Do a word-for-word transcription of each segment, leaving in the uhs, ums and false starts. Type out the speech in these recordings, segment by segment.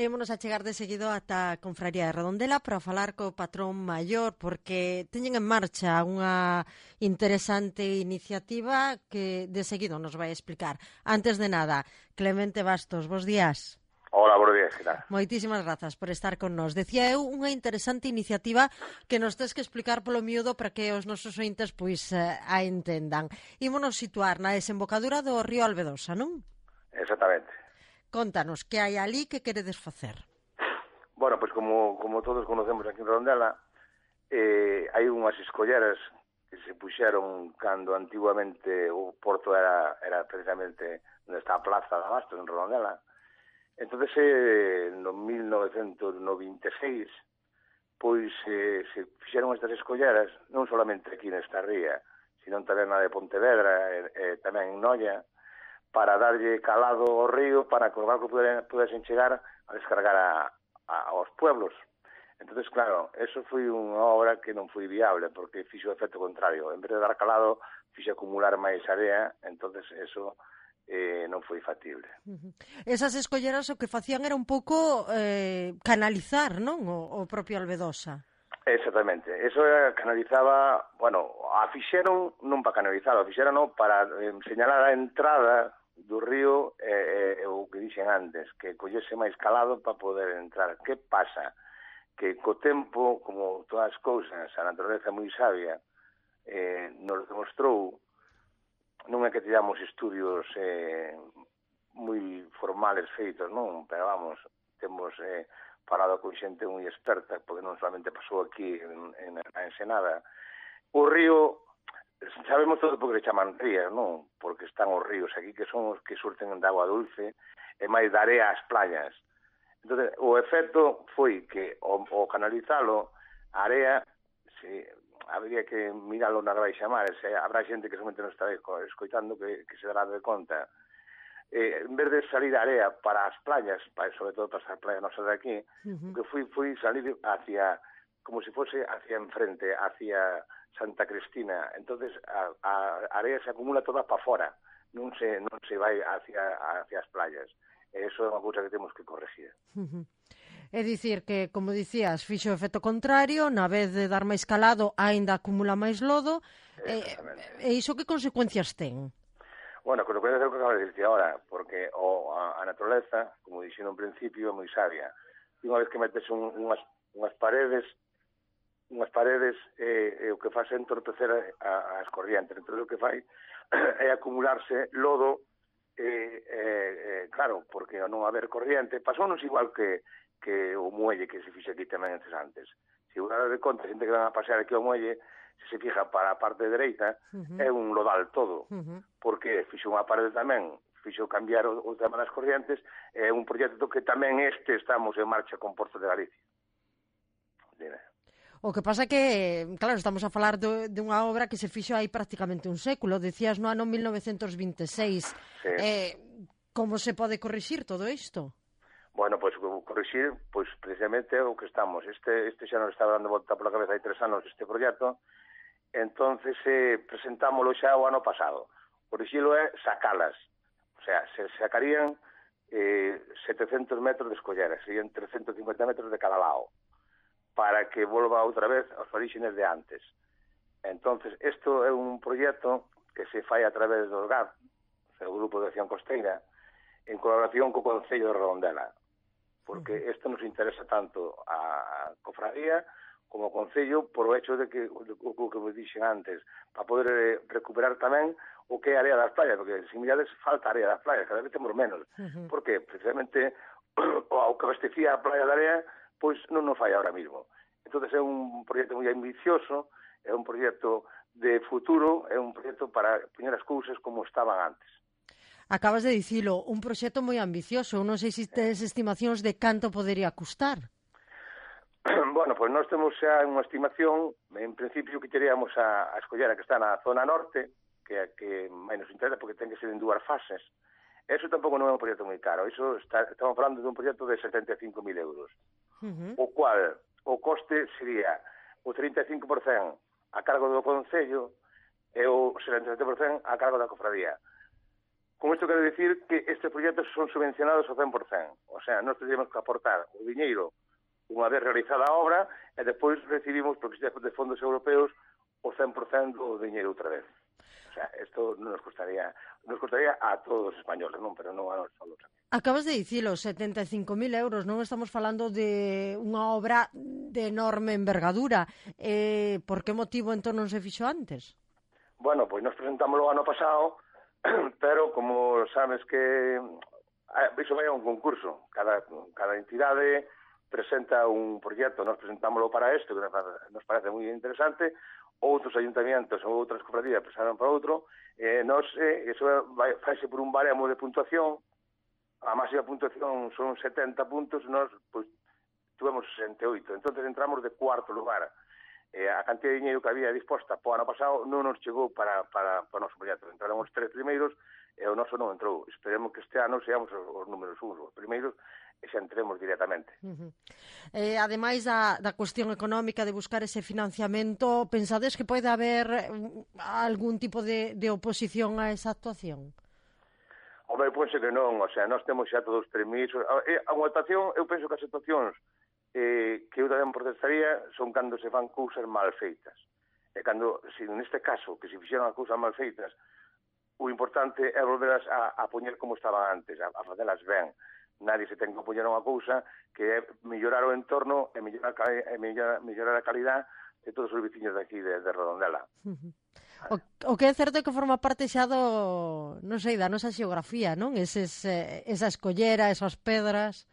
E ímonos a chegar de seguido ata a Confraría de Redondela para falar co patrón maior, porque teñen en marcha unha interesante iniciativa que de seguido nos vai explicar. Antes de nada, Clemente Bastos, bos días. Hola, buenos días, ¿qué tal? Moitísimas grazas por estar con nós. Decía eu unha interesante iniciativa que nos tes que explicar polo miúdo para que os nosos ointes pois eh, a entendan. Ímonos situar na desembocadura do río Albedosa, non? Exactamente. Contanos, que hai ali, que queredes facer? Bueno, pues como, como todos conocemos aquí en Redondela, eh, hai unhas escolleras que se puxeron cando antiguamente o porto era, era precisamente onde está a Plaza de Abastos, en Redondela. Entonces, eh, no mil novecentos noventa e seis, pois eh, se fixeron estas escolleras, non solamente aquí nesta ría, sino tamén na de Pontevedra, e, eh, tamén en Noia, para darlle calado ao río para que os barcos pudesen chegar a descargar a, a, aos pueblos. Entonces, claro, eso foi unha obra que non foi viable, porque fixo o efecto contrario. En vez de dar calado, fixo acumular máis area, entonces eso eh, non foi factible. Uh-huh. Esas escolleras o que facían era un pouco eh, canalizar, non? O, o propio Albedosa. Exactamente, eso era, canalizaba, bueno, a fixeron non para canalizar, a fixeron non para eh, señalar a entrada do río, eh, eh, o que dixen antes, que collese máis calado para poder entrar. Que pasa? Que co tempo, como todas as cousas, a natureza moi sabia, eh, nos demostrou, non é que tivamos estudios eh, moi formales feitos, non? Pero vamos, temos eh, falado con xente moi experta, porque non solamente pasou aquí en, en a Ensenada. O río, sabemos todo porque le chaman rías, non? Porque están os ríos aquí que son os que surten de agua dulce e máis de area ás playas. Entón, o efecto foi que o, o canalizalo, a area, se, habría que miralo na vai chamar, se habrá xente que somente non está escoitando que, que se dará de conta. Eh, en vez de salir a area para as playas, para, sobre todo para as playas nosas de aquí, uh-huh. que fui, fui salir hacia, como se fose hacia enfrente, hacia Santa Cristina. Entonces a, a area se acumula toda para fora, non se non se vai hacia hacia as playas. E iso é unha cousa que temos que corregir. Uh-huh. É dicir que, como dicías, fixo o efecto contrario, na vez de dar máis calado, aínda acumula máis lodo. E, e iso que consecuencias ten? Bueno, consecuencias é o que acabo de dicir agora, porque o, a, a naturaleza, como dixen no principio, é moi sabia. E unha vez que metes un, unhas, unhas paredes, unhas paredes eh, eh, o que faz é entorpecer a, as corrientes. Entón, o que fai é acumularse lodo, eh, eh, eh, claro, porque non haber corriente, pasounos igual que, que o muelle que se fixe aquí tamén antes. Se unha de conta, xente que van a pasear aquí ao muelle, se se fija para a parte dereita, uh-huh. é un lodal todo, uh-huh. porque fixo unha parede tamén, fixo cambiar o, o tema das corrientes, é un proxecto que tamén este estamos en marcha con Porto de Galicia. Dime. O que pasa que, claro, estamos a falar de, de unha obra que se fixo aí prácticamente un século, decías no ano mil novecentos vinte e seis. Sí. Eh, como se pode corrixir todo isto? Bueno, pois pues, corrixir, pois pues, precisamente o que estamos. Este, este xa nos estaba dando volta pola cabeza hai tres anos este proxecto, entonces eh, presentámoslo xa o ano pasado. Corrixilo é sacalas, o sea, se sacarían eh, setecentos metros de escolleras, serían trescentos cincuenta metros de cada lado, para que volva outra vez aos orígenes de antes. Entonces, isto é un proxecto que se fai a través do G A R, o Grupo de Acción Costeira, en colaboración co Concello de Redondela, porque isto nos interesa tanto a cofradía como o Concello por o hecho de que, o que me dixen antes, para poder recuperar tamén o que é a área das playas, porque, sin mirades, falta a área das playas, cada vez temos menos. Uh-huh. Porque, precisamente, o que abastecía a playa da área, pois non nos fai ahora mismo. Entón é un proxecto moi ambicioso, é un proxecto de futuro, é un proxecto para poñer as cousas como estaban antes. Acabas de dicilo, un proxecto moi ambicioso. Non sei se tes estimacións de canto podería custar. Bueno, pois nós temos xa unha estimación, en principio que teríamos a, a escollera que está na zona norte, que é que máis nos interesa porque ten que ser en dúas fases. Eso tampouco non é un proxecto moi caro, eso está, estamos falando de un proxecto de setenta e cinco mil euros. Uh-huh. O cual o coste sería o trinta e cinco por cento a cargo do Concello e o setenta e sete por cento a cargo da cofradía. Con isto quero dicir que estes proxectos son subvencionados ao cen por cen. O sea, nós temos que aportar o diñeiro unha vez realizada a obra e depois recibimos, porque de fondos europeos, o cen por cen do diñeiro outra vez. O sea, isto nos costaría, nos costaría a todos os españoles, non? Pero non a nós solos. Acabas de dicilo, setenta e cinco mil euros, non estamos falando de unha obra de enorme envergadura. Eh, por que motivo entón non se fixo antes? Bueno, pois nos presentámoslo ano pasado, pero como sabes que iso vai a un concurso, cada, cada entidade presenta un proxecto, nos presentámoslo para isto, que nos parece moi interesante, outros ayuntamientos ou outras cofradías presentaron para outro, e nos, eh, eso vai, faise por un baremo de puntuación, a máxima puntuación son setenta puntos, nós, pois, tuvemos sesenta e oito, entonces entramos de cuarto lugar. Eh, a cantidad de dinheiro que había disposta po ano pasado non nos chegou para, para, para o noso proxecto. Entraron os tres primeiros e o noso non entrou. Esperemos que este ano seamos os, os números uns, os primeiros, e xa entremos directamente. Uh-huh. Eh, ademais da, da cuestión económica de buscar ese financiamento, pensades que pode haber algún tipo de, de oposición a esa actuación? Home, penso que non, o sea, nós temos xa todos os permisos. A, a unha actuación, eu penso que as actuacións eh, que eu tamén protestaría son cando se fan cousas mal feitas. E cando, se neste caso, que se fixeron as cousas mal feitas, o importante é volverlas a, a poñer como estaban antes, a, a facelas ben. Nadie se ten que poñer unha cousa que é mellorar o entorno e mellorar, e mellorar, mellorar a calidad de todos os veciños de aquí, de, de Redondela. Uh-huh. O, o que é certo é que forma parte xa do, non sei, da nosa xeografía, non? Eses, eh, esa escollera, esas pedras...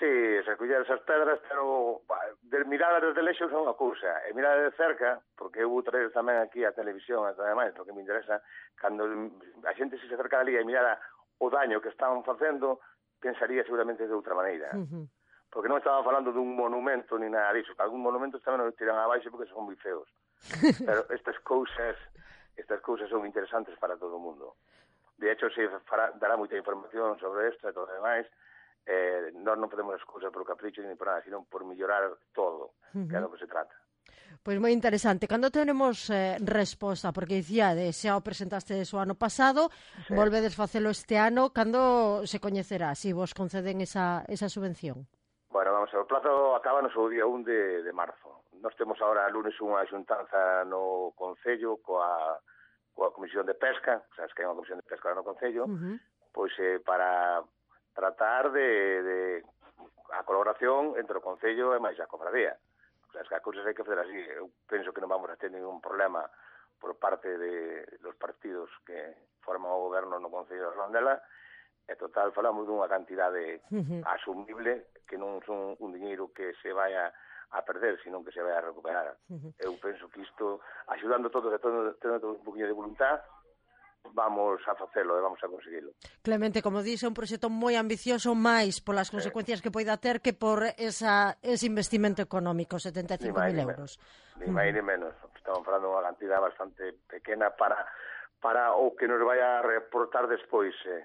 Sí, esas colleras, esas pedras, pero de mirada desde lexo son unha cousa, e mirada de cerca, porque eu vou traer tamén aquí a televisión, ademais, o que me interesa, cando a xente se acerca ali e mirara o daño que estaban facendo, pensaría seguramente de outra maneira. Uh-huh. Porque non estaba falando dun monumento ni nada disso, que algún monumento tamén nos tiran abaixo porque son moi feos. Pero estas cousas, estas cousas son interesantes para todo o mundo. De hecho, se fará, dará moita información sobre isto e todo o demais. Eh, nós non podemos as cousas por capricho ni por nada, sino por mellorar todo, uh-huh. que é do que se trata. Pois moi interesante. Cando tenemos eh, resposta, porque dicía, de, xa o presentaste o ano pasado, sí. Volvedes facelo este ano, cando se coñecerá, se si vos conceden esa, esa subvención? Bueno, vamos, o plazo acaba no seu día un de, de marzo. Nós temos agora lunes unha xuntanza no Concello coa, coa Comisión de Pesca, o sea, es que hai unha Comisión de Pesca no Concello, uh-huh. pois eh, para tratar de, de a colaboración entre o Concello e máis a cofradía. O sea, es que as cousas hai que fazer así. Eu penso que non vamos a ter ningún problema por parte de los partidos que forman o goberno no Concello de Redondela. E total, falamos dunha cantidade uh-huh. asumible, que non son un diñeiro que se vaya a perder, sino que se vai a recuperar. Uh-huh. Eu penso que isto, axudando todos e tendo, tendo un poquinho de voluntad, vamos a facelo e vamos a conseguilo. Clemente, como dixe, un proxecto moi ambicioso, máis polas consecuencias sí. que poida ter que por esa, ese investimento económico, setenta e cinco mil euros. Ni máis ni menos. Estamos falando unha cantidad bastante pequena para para o que nos vai a reportar despois. Eh.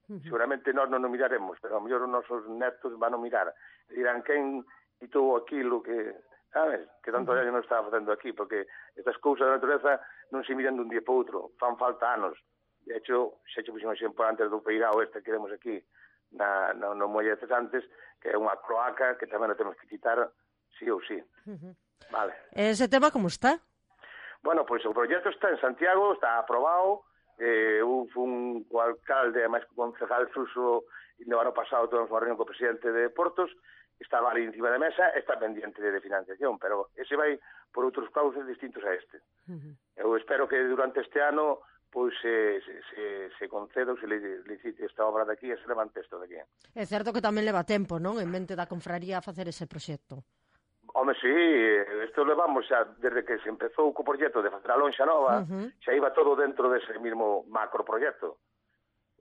Uh-huh. Seguramente nós non o miraremos, pero a mellor os nosos netos van a mirar. Dirán, quen hitou aquilo que... sabes? Que tanto uh-huh. año non estaba facendo aquí, porque estas cousas da natureza non se miran dun día para outro, fan falta anos. De hecho, xa che puxen un exemplo antes do peirao este que vemos aquí, na, no, no Molle de Cesantes, que é unha cloaca que tamén a temos que quitar sí ou sí. Uh-huh. Vale. Ese tema como está? Bueno, pois pues, o proxecto está en Santiago, está aprobado, eh, eu fun co alcalde, máis co concejal Suso, e no ano pasado tuvemos unha reunión co presidente de Portos, estaba ali encima da mesa, está pendiente de financiación, pero ese vai por outros cauces distintos a este. Uh-huh. Eu espero que durante este ano pois se, se, se, se conceda ou se licite esta obra de aquí e se levante isto de aquí. É certo que tamén leva tempo, non? En mente da confraría a facer ese proxecto. Home, sí, isto levamos xa desde que se empezou co proxecto de facer a lonxa nova, uh-huh. xa iba todo dentro dese mesmo macroproxecto.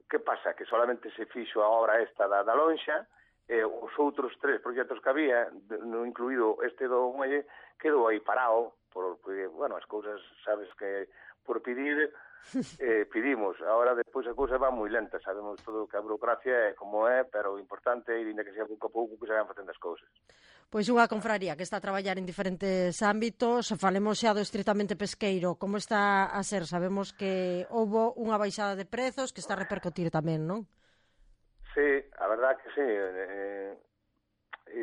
Que pasa? Que solamente se fixo a obra esta da, da lonxa, e os outros tres proxectos que había, no incluído este do Muelle, quedou aí parado, porque, bueno, as cousas, sabes que por pedir, eh, pedimos. Ahora, despois, a cousa va moi lenta, sabemos todo que a burocracia é como é, pero o importante é, ainda que sea pouco a pouco, que se van facendo as cousas. Pois unha confraría que está a traballar en diferentes ámbitos. Falemos xa do estritamente pesqueiro. Como está a ser? Sabemos que houbo unha baixada de prezos que está a repercutir tamén, non? Sí, a verdad que sí. Eh,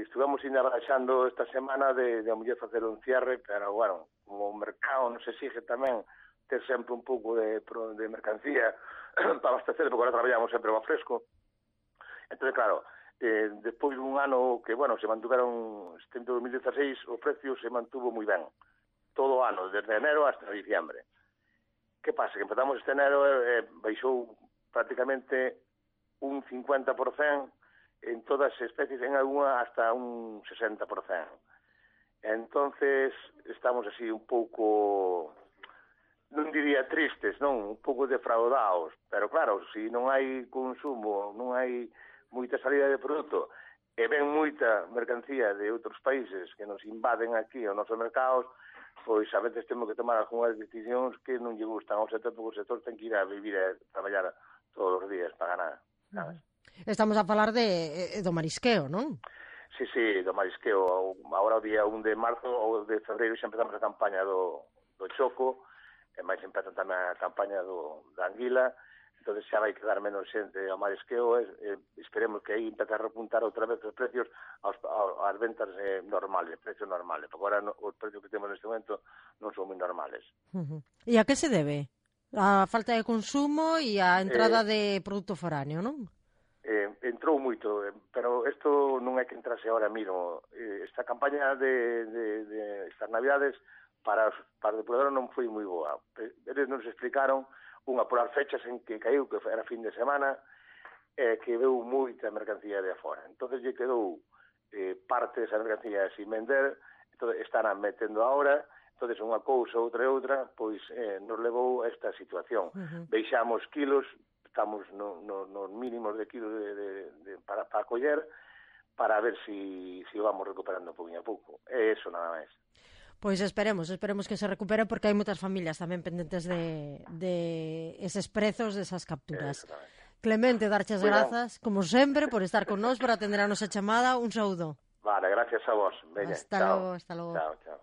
estuvamos ainda baixando esta semana de, de a muller facer un cierre, pero, bueno, como o mercado nos exige tamén ter sempre un pouco de, de mercancía para abastecer, porque agora traballamos sempre ao fresco. Entón, claro, eh, despois dun ano que, bueno, se mantuveron, este dos mil dieciséis, o precio se mantuvo moi ben. Todo o ano, desde enero hasta diciembre. Que pasa? Que empezamos este enero e eh, baixou prácticamente un cincuenta por cento en todas as especies, en alguna hasta un sesenta por cento. Entonces, estamos así un pouco, non diría tristes, non, un pouco defraudados, pero claro, se non hai consumo, non hai moita salida de produto, e ven moita mercancía de outros países que nos invaden aquí aos nosos mercados, pois a veces temos que tomar algunhas decisións que non lle gustan ao sector, porque o sector ten que ir a vivir e traballar todos os días para ganar, sabes? Estamos a falar de, do marisqueo, non? Sí, sí, do marisqueo. Agora o día un de marzo ou de febreiro xa empezamos a campaña do, do choco, e máis empezan tamén a campaña do, da anguila, entón xa vai quedar menos xente ao marisqueo, e, e esperemos que aí empece a repuntar outra vez os precios aos, aos ventas eh, normales, precios normales, porque agora no, os precios que temos neste momento non son moi normales. Uh-huh. E a que se debe? A falta de consumo e a entrada eh, de produto foráneo, non? Eh, entrou moito, pero isto non é que entrase ahora mismo. Eh, esta campaña de, de, de estas navidades para, para o depurador non foi moi boa. Eles nos explicaron unha por as fechas en que caiu, que era fin de semana, eh, que veu moita mercancía de afora. Entón, lle quedou eh, parte desa mercancía sin vender, entón, están metendo ahora, entón, unha cousa, outra e outra, pois eh, nos levou a esta situación. Uh-huh. Veixamos kilos, estamos no, no, nos mínimos de kilos de, de, de, para, para coller, para ver si, si vamos recuperando pouco a pouco. É eso nada máis. Pois esperemos, esperemos que se recupere, porque hai moitas familias tamén pendentes de, de eses prezos, desas capturas. Clemente, darche as grazas, como sempre, por estar con nós, por atender a nosa chamada. Un saúdo. Vale, gracias a vos. Veña, hasta chao. logo, hasta logo. Chao, chao.